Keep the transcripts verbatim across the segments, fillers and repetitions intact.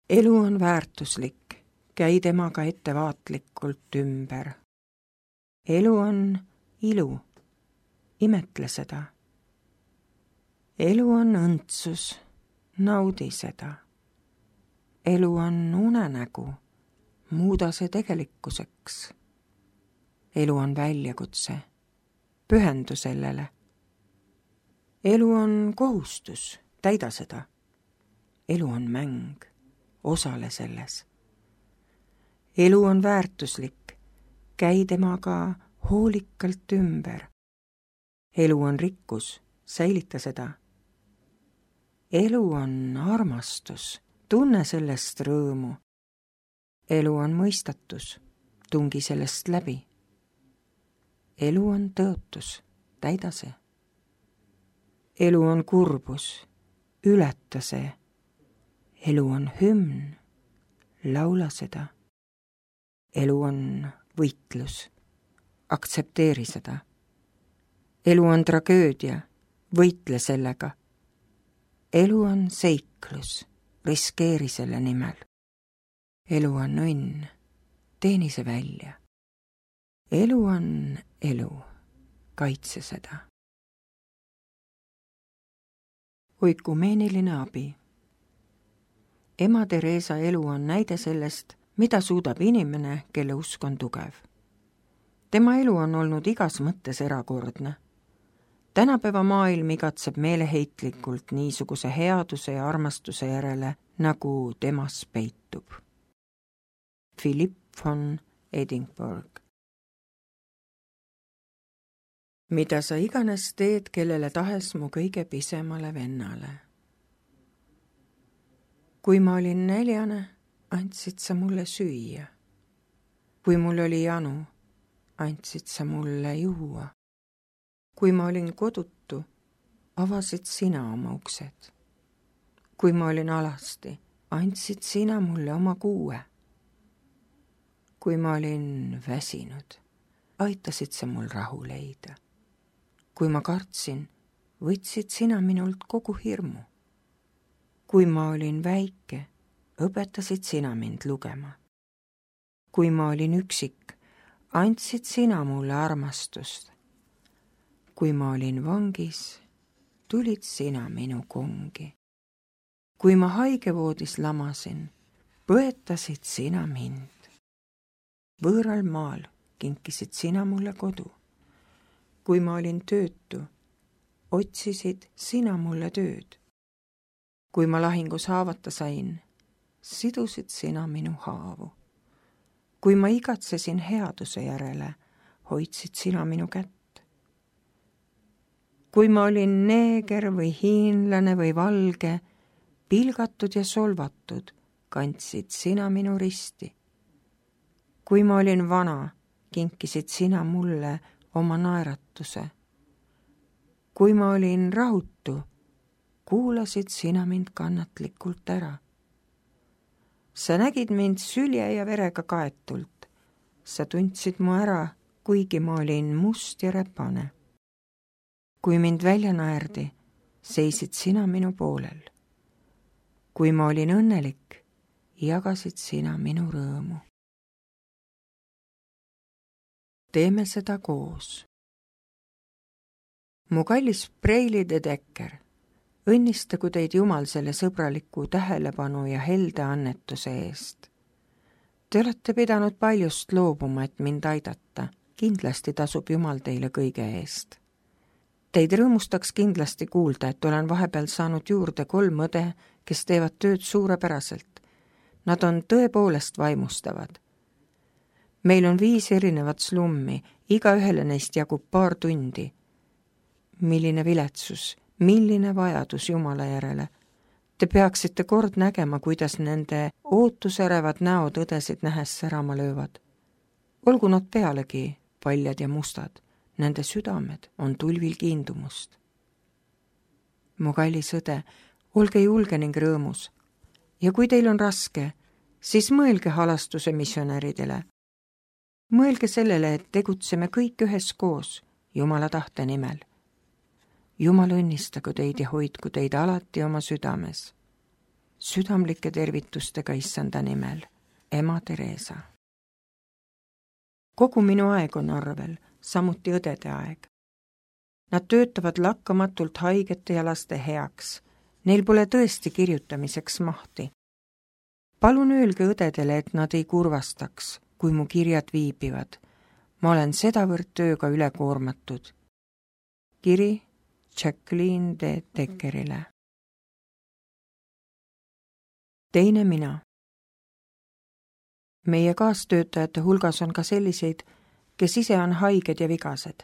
Elu on väärtuslik, käi temaga ettevaatlikult ümber. Elu on ilu, imetle seda. Elu on õndsus, naudi seda. Elu on unenägu, muuda see tegelikkuseks. Elu on väljakutse, pühendu sellele. Elu on kohustus, täida seda. Elu on mäng, osale selles. Elu on väärtuslik, käi temaga hoolikalt ümber. Elu on rikkus, säilita seda. Elu on armastus, tunne sellest rõõmu. Elu on mõistatus, tungi sellest läbi. Elu on tõotus, täida see. Elu on kurbus, ületa see. Elu on hümn, laula seda. Elu on võitlus, aktsepteeri seda. Elu on tragöödia, võitle sellega. Elu on seiklus, riskeeri selle nimel. Elu on õnn, teeni see välja. Elu on elu, kaitse seda. Oikumeeniline abi. Ema Teresa elu on näide sellest, mida suudab inimene, kelle usk on tugev. Tema elu on olnud igas mõttes erakordne. Tänapäeva maailm igatseb meeleheitlikult niisuguse headuse ja armastuse järele, nagu temas peitub. Philip von Edinburgh. Mida sa iganes teed, kellele tahes mu kõige pisemale vennale. Kui ma olin neljane, andsid sa mulle süüa. Kui mul oli janu, andsid sa mulle juua. Kui ma olin kodutu, avasid sina oma uksed. Kui ma olin alasti, andsid sina mulle oma kuue. Kui ma olin väsinud, aitasid sa mul rahu leida. Kui ma kartsin, võtsid sina minult kogu hirmu. Kui ma olin väike, õpetasid sina mind lugema. Kui ma olin üksik, andsid sina mulle armastust. Kui ma olin vangis, tulid sina minu kongi. Kui ma haigevoodis lamasin, põetasid sina mind. Võõral maal kinkisid sina mulle kodu. Kui ma olin töötu, otsisid sina mulle tööd. Kui ma lahingus haavata sain, sidusid sina minu haavu. Kui ma igatsesin headuse järele, hoidsid sina minu kätt. Kui ma olin neeger või hiinlane või valge, pilgatud ja solvatud, kandsid sina minu risti. Kui ma olin vana, kinkisid sina mulle oma naeratuse. Kui ma olin rahutu, kuulasid sina mind kannatlikult ära. Sa nägid mind sülje ja verega kaetult. Sa tundsid mu ära, kuigi ma olin must ja räpane. Kui mind välja naerdi, seisid sina minu poolel. Kui ma olin õnnelik, jagasid sina minu rõõmu. Teeme seda koos. Mu kallis Preili de Decker, õnnistagu teid Jumal selle sõbraliku tähelepanu ja helde annetuse eest. Te olete pidanud paljust loobuma, et mind aidata. Kindlasti tasub Jumal teile kõige eest. Teid rõõmustaks kindlasti kuulda, et olen vahepeal saanud juurde kolm õde, kes teevad tööd suurepäraselt. Nad on tõepoolest vaimustavad. Meil on viis erinevat slummi, iga ühele neist jagub paar tundi. Milline viletsus, milline vajadus Jumala järele. Te peaksite kord nägema, kuidas nende ootuserevad näod õdesid nähes särama löövad. Olgu nad pealegi paljad ja mustad, nende südamed on tulvil kiindumust. Mu kallis õde, olge julge ning rõõmus. Ja kui teil on raske, siis mõelge halastuse missionäridele. Mõelge sellele, et tegutseme kõik üheskoos Jumala tahte nimel. Jumal õnnistagu teid ja hoidku teid alati oma südames. südamlike tervitustega issanda nimel, ema Theresa. Kogu minu aeg on arvel, samuti õdede aeg. Nad töötavad lakkamatult haigete ja laste heaks. Neil pole tõesti kirjutamiseks mahti. Palun öelge õdedele, et nad ei kurvastaks, kui mu kirjad viibivad. Ma olen sedavõrd tööga üle koormatud. Kiri Jacqueline de Deckerile. Teine mina. Meie kaastöötajate hulgas on ka selliseid, kes ise on haiged ja vigased.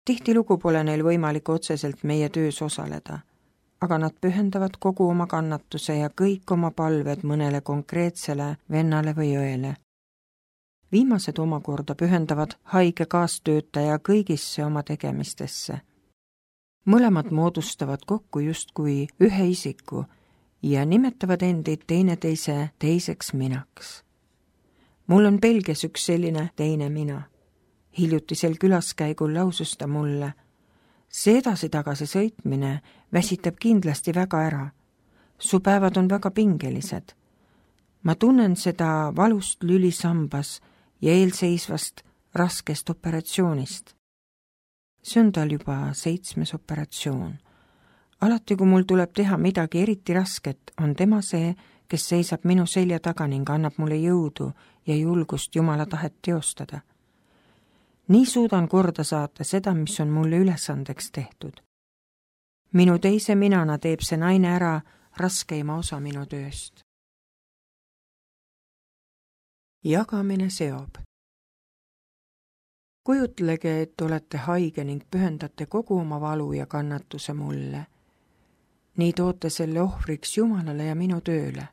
Tihtilugu pole neil võimalik otseselt meie töös osaleda, aga nad pühendavad kogu oma kannatuse ja kõik oma palved mõnele konkreetsele vennale või õele. Viimased omakorda pühendavad haige kaastöötaja kõigisse oma tegemistesse. Mõlemad moodustavad kokku justkui ühe isiku ja nimetavad endid teineteise teiseks minaks. Mul on Belgias üks selline teine mina. Hiljutisel külaskäigul lausus ta mulle: see edasi-tagasi sõitmine väsitab kindlasti väga ära. Su päevad on väga pingelised. Ma tunnen seda valust lülisambas ja eelseisvast raskest operatsioonist. See on tal juba seitsmes operatsioon. Alati, kui mul tuleb teha midagi eriti rasket, on tema see, kes seisab minu selja taga ning annab mulle jõudu ja julgust Jumala tahet teostada. Nii suudan korda saata seda, mis on mulle ülesandeks tehtud. Minu teise minana teeb see naine ära raskeima osa minu tööst. Jagamine seob. Kujutlege, et olete haige ning pühendate kogu oma valu ja kannatuse mulle. Nii toote selle ohvriks Jumalale ja minu tööle.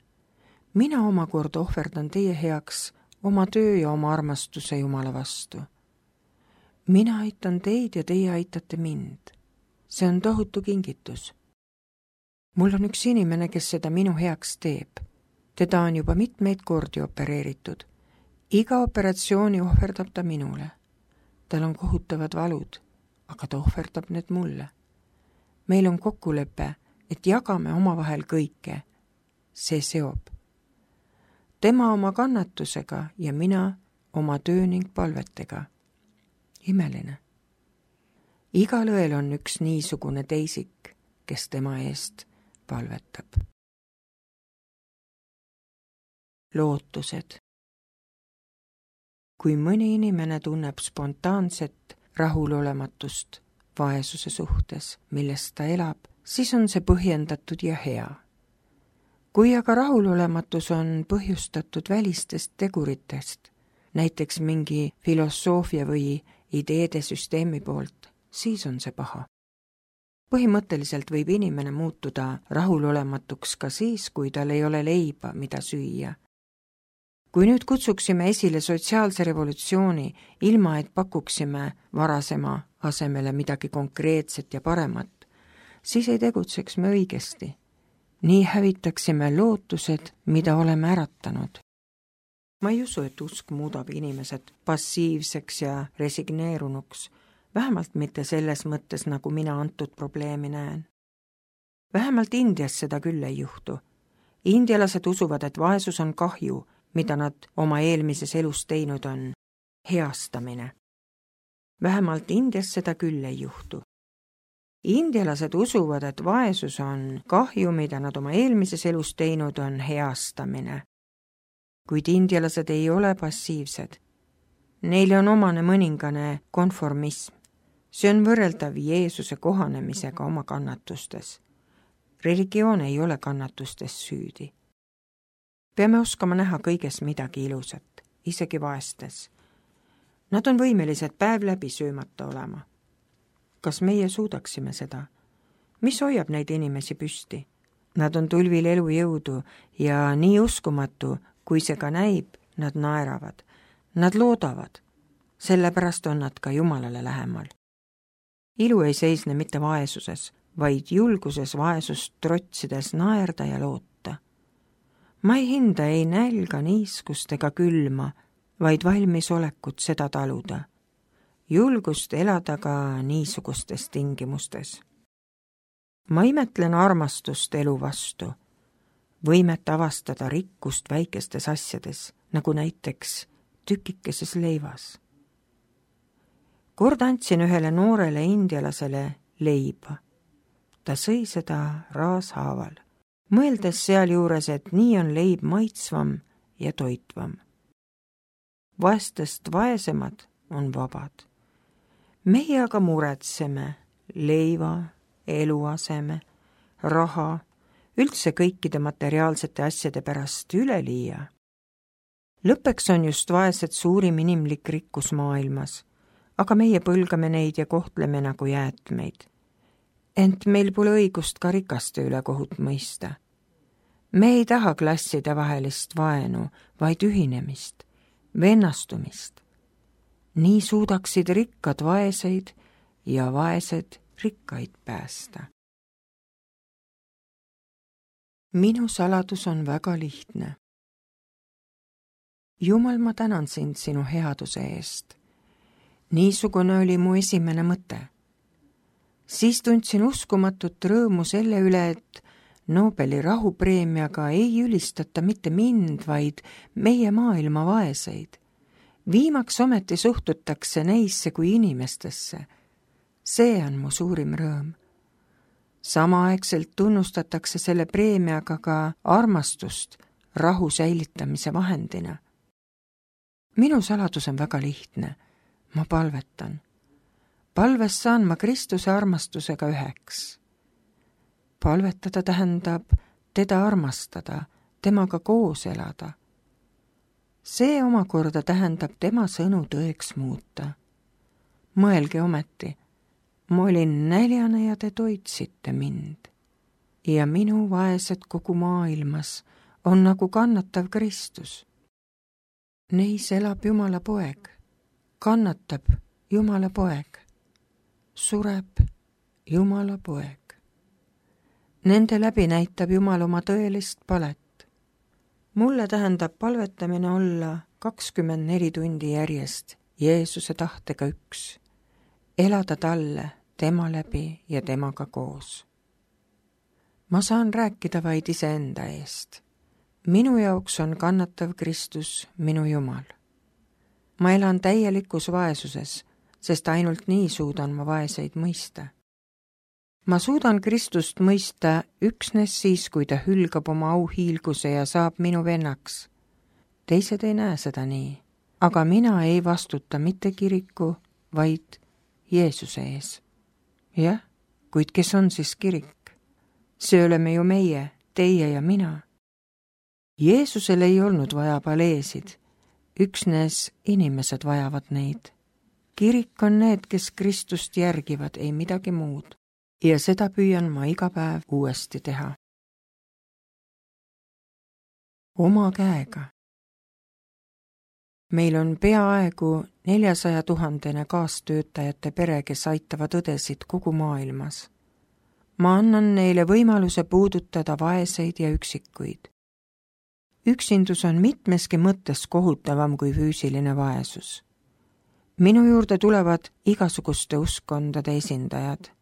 Mina omakorda ohverdan teie heaks oma töö ja oma armastuse Jumala vastu. Mina aitan teid ja teie aitate mind. See on tohutu kingitus. Mul on üks inimene, kes seda minu heaks teeb. Teda on juba mitmeid kordi opereeritud. Iga operatsiooni ohverdab ta minule. Tal on kohutavad valud, aga ta ohverdab need mulle. Meil on kokkulepe, et jagame omavahel kõike. See seob. Tema oma kannatusega ja mina oma töö ning palvetega. Imeline. Igal õel on üks niisugune teisik, kes tema eest palvetab. Lootused. Kui mõni inimene tunneb spontaanset rahulolematust vaesuse suhtes, millest ta elab, siis on see põhjendatud ja hea. Kui aga rahulolematus on põhjustatud välistest teguritest, näiteks mingi filosoofia või ideede süsteemi poolt, siis on see paha. Põhimõtteliselt võib inimene muutuda rahulolematuks ka siis, kui tal ei ole leiba, mida süüa. Kui nüüd kutsuksime esile sotsiaalse revolutsiooni, ilma et pakuksime varasema asemele midagi konkreetset ja paremat, siis ei tegutseks me õigesti. Nii hävitaksime lootused, mida oleme äratanud. Ma ei usu, et usk muudab inimesed passiivseks ja resigneerunuks, vähemalt mitte selles mõttes, nagu mina antud probleemi näen. Vähemalt Indias seda küll ei juhtu. Indialased usuvad, et vaesus on kahju, mida nad oma eelmises elus teinud on, heastamine. Vähemalt Indias seda küll ei juhtu. Indialased usuvad, et vaesus on kahju, mida nad oma eelmises elus teinud on, heastamine. Kuid indialased ei ole passiivsed. Neile on omane mõningane konformism. See on võrreldav Jeesuse kohanemisega oma kannatustes. Religioon ei ole kannatustes süüdi. Peame oskama näha kõiges midagi ilusat, isegi vaestes. Nad on võimelised päev läbi söömata olema. Kas meie suudaksime seda? Mis hoiab neid inimesi püsti? Nad on tulvil elujõudu ja nii uskumatu, kui see ka näib, nad naeravad. Nad loodavad. Sellepärast on nad ka Jumalale lähemal. Ilu ei seisne mitte vaesuses, vaid julguses vaesust trotsides naerda ja loota. Ma ei hinda ei nälga, niiskust ega külma, vaid valmis olekut seda taluda. Julgust elada ka niisugustes tingimustes. Ma imetlen armastust elu vastu. võimet avastada rikkust väikestes asjades, nagu näiteks tükikeses leivas. Kord andsin ühele noorele indialasele leiba. Ta sõi seda raashaaval, mõeldes sealjuures, et nii on leib maitsvam ja toitvam. Vaestest vaesemad on vabad. Meie aga muretseme leiva, eluaseme, raha, üldse kõikide materiaalsete asjade pärast üleliia. Lõppeks on just vaesed suurim inimlik rikkus maailmas, aga meie põlgame neid ja kohtleme nagu jäätmeid. Ent meil pole õigust ka rikaste üle kohut mõista. Me ei taha klasside vahelist vaenu, vaid ühinemist, vennastumist. Nii suudaksid rikkad vaeseid ja vaesed rikkaid päästa. Minu saladus on väga lihtne. Jumal, ma tänan sind sinu headuse eest. Niisugune oli mu esimene mõte. Siis tundsin uskumatut rõõmu selle üle, et Nobeli rahupreemiaga ei ülistata mitte mind, vaid meie maailma vaeseid. Viimaks ometi suhtutakse neisse kui inimestesse. See on mu suurim rõõm. Samaaegselt tunnustatakse selle preemiaga ka armastust rahu säilitamise vahendina. Minu saladus on väga lihtne. Ma palvetan. Palves saan ma Kristuse armastusega üheks. Palvetada tähendab teda armastada, temaga koos elada. See omakorda tähendab tema sõnu tõeks muuta. Mõelge ometi, ma olin näljane ja te toitsite mind. Ja minu vaesed kogu maailmas on nagu kannatav Kristus. Neis elab Jumala poeg, kannatab Jumala poeg, sureb Jumala poeg. Nende läbi näitab Jumal oma tõelist palet. Mulle tähendab palvetamine olla kakskümmend neli tundi järjest Jeesuse tahtega üks, elada talle, tema läbi ja temaga koos. Ma saan rääkida vaid iseenda eest. Minu jaoks on kannatav Kristus minu Jumal. Ma elan täielikus vaesuses, sest ainult nii suudan ma vaeseid mõista. Ma suudan Kristust mõista üksnes siis, kui ta hülgab oma auhiilguse ja saab minu vennaks. Teised ei näe seda nii, aga mina ei vastuta mitte kiriku, vaid Jeesuse ees. Jah, kuid kes on siis kirik? See oleme ju meie, teie ja mina. Jeesusel ei olnud vaja paleesid, üksnes inimesed vajavad neid. Kirik on need, kes Kristust järgivad, ei midagi muud. Ja seda püüan ma iga päev uuesti teha. Oma käega. Meil on peaaegu neljasaja tuhandene kaastöötajate pere, kes aitavad õdesid kogu maailmas. Ma annan neile võimaluse puudutada vaeseid ja üksikuid. Üksindus on mitmeski mõttes kohutavam kui füüsiline vaesus. Minu juurde tulevad igasuguste uskondade esindajad.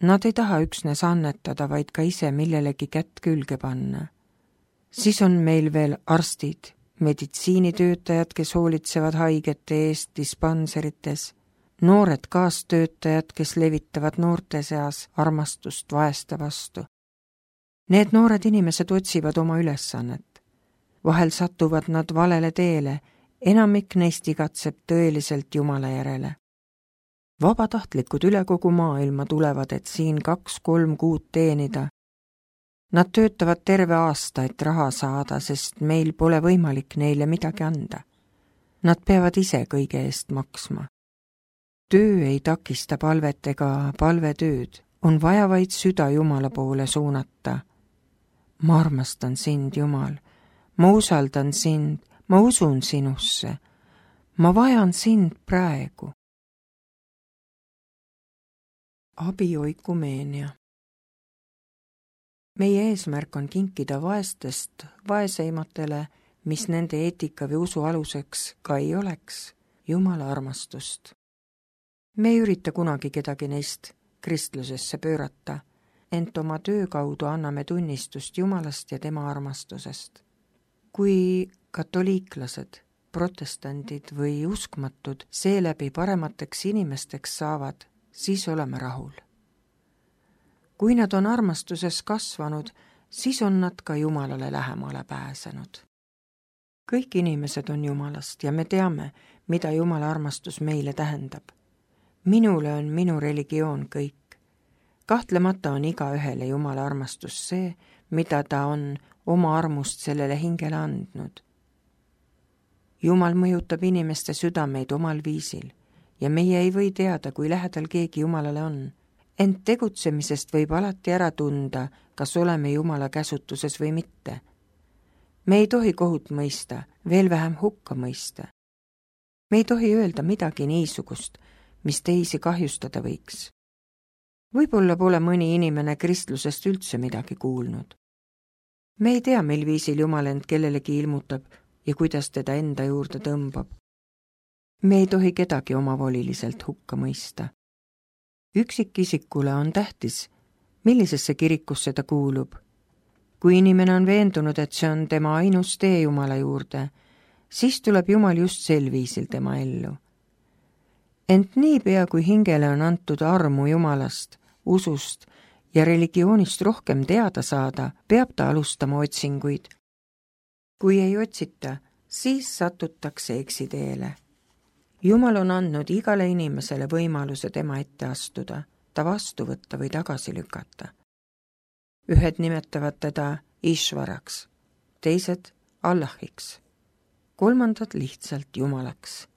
Nad ei taha üksnes annetada, vaid ka ise millelegi kätt külge panna. Siis on meil veel arstid, meditsiinitöötajad, kes hoolitsevad haigete eest dispanserites, noored kaastöötajad, kes levitavad noorte seas armastust vaeste vastu. Need noored inimesed otsivad oma ülesannet. Vahel satuvad nad valele teele, enamik neist igatseb tõeliselt Jumala järele. Vabatahtlikud üle kogu maailma tulevad, et siin kaks-kolm kuud teenida. Nad töötavad terve aasta, et raha saada, sest meil pole võimalik neile midagi anda. Nad peavad ise kõige eest maksma. Töö ei takista palvet ega palvetööd, on vaja vaid süda Jumala poole suunata. Ma armastan sind, Jumal. Ma usaldan sind, ma usun sinusse. Ma vajan sind praegu. Abioikumeenia. Meie eesmärk on kinkida vaestest vaeseimatele, mis nende eetika või usu aluseks ka ei oleks, Jumala armastust. Me ei ürita kunagi kedagi neist kristlusesse pöörata. ent oma töö kaudu anname tunnistust Jumalast ja tema armastusest. Kui katoliiklased, protestandid või uskmatud seeläbi paremateks inimesteks saavad, siis oleme rahul. Kui nad on armastuses kasvanud, siis on nad ka Jumalale lähemale pääsenud. Kõik inimesed on Jumalast ja me teame, mida Jumala armastus meile tähendab. Minule on minu religioon kõik. Kahtlemata on igaühele Jumala armastus see, mida ta on oma armust sellele hingele andnud. Jumal mõjutab inimeste südameid omal viisil ja meie ei või teada, kui lähedal keegi Jumalale on. Ent tegutsemisest võib alati ära tunda, kas oleme Jumala käsutuses või mitte. Me ei tohi kohut mõista, veel vähem hukka mõista. Me ei tohi öelda midagi niisugust, mis teisi kahjustada võiks. Võib-olla pole mõni inimene kristlusest üldse midagi kuulnud. Me ei tea, mil viisil Jumal end kellelegi ilmutab ja kuidas teda enda juurde tõmbab. Me ei tohi kedagi omavoliliselt hukka mõista. Üksikisikule on tähtis, millisesse kirikusse ta kuulub. Kui inimene on veendunud, et see on tema ainus tee Jumala juurde, siis tuleb Jumal just sel viisil tema ellu. Ent niipea, kui hingele on antud armu Jumalast, usust ja religioonist rohkem teada saada, peab ta alustama otsinguid. Kui ei otsita, siis satutakse eksiteele. Jumal on andnud igale inimesele võimaluse tema ette astuda, ta vastu võtta või tagasi lükata. Ühed nimetavad teda Ishvaraks, teised Allahiks, kolmandad lihtsalt Jumalaks.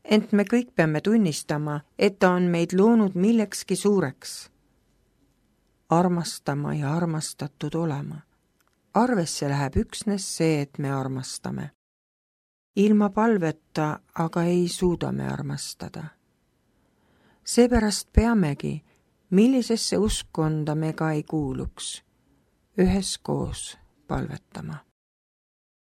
Ent me kõik peame tunnistama, et ta on meid loonud millekski suureks. Armastama ja armastatud olema. Arvesse läheb üksnes see, et me armastame. Ilma palveta aga ei suuda me armastada. Seepärast peamegi, millisesse uskonda me ka ei kuuluks, üheskoos palvetama.